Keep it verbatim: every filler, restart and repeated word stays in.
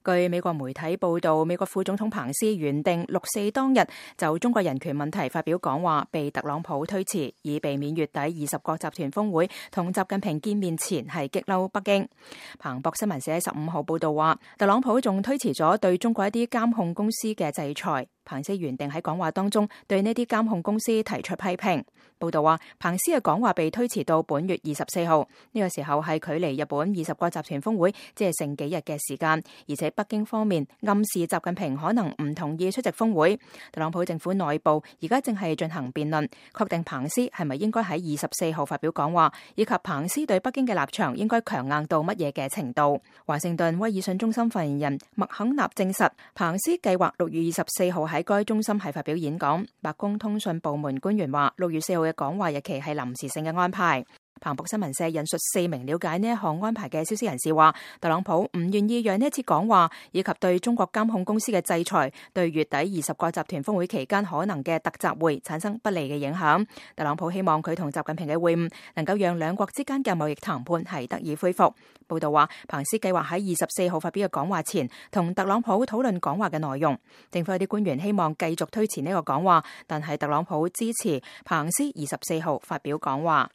據美國媒體報道，美國副總統彭斯原定六四當日就中國人權問題發表講話，被特朗普推遲，以避免月底二十國集團峰會同習近平見面前係激嬲北京。彭博新聞社喺十五號報道話，特朗普仲推遲咗對中國一啲監控公司嘅制裁。彭斯原定喺講話當中對呢啲監控公司提出批評。報道話，彭斯嘅講話被推遲到本月二十四號，呢個時候係距離日本二十國集團峰會只係剩幾日嘅時間，而且北京方面暗示習近平可能唔同意出席峰會。特朗普政府內部而家正係進行辯論，確定彭斯係咪應該喺二十四號發表講話，以及彭斯對北京嘅立場應該強硬到乜嘢嘅程度。華盛頓威爾遜中心發言人麥肯納證實，彭斯計劃六月二十四號喺該中心係發表演講。白宮通訊部門官員話，六月四號嘅講話日期係臨時性嘅安排。彭博新聞社引述四名了解呢一項安排嘅消息人士話，特朗普唔願意讓呢一次講話以及對中國監控公司嘅制裁，對月底二十國集團峰會期間可能嘅特集會產生不利嘅影響。特朗普希望佢同習近平嘅會晤能夠讓兩國之間嘅貿易談判係得以恢復。報道話，彭斯計劃喺二十四號發表嘅講話前，同特朗普討論講話嘅內容。政府有啲官員希望繼續推遲呢個講話，但係特朗普支持彭斯二十四號發表講話。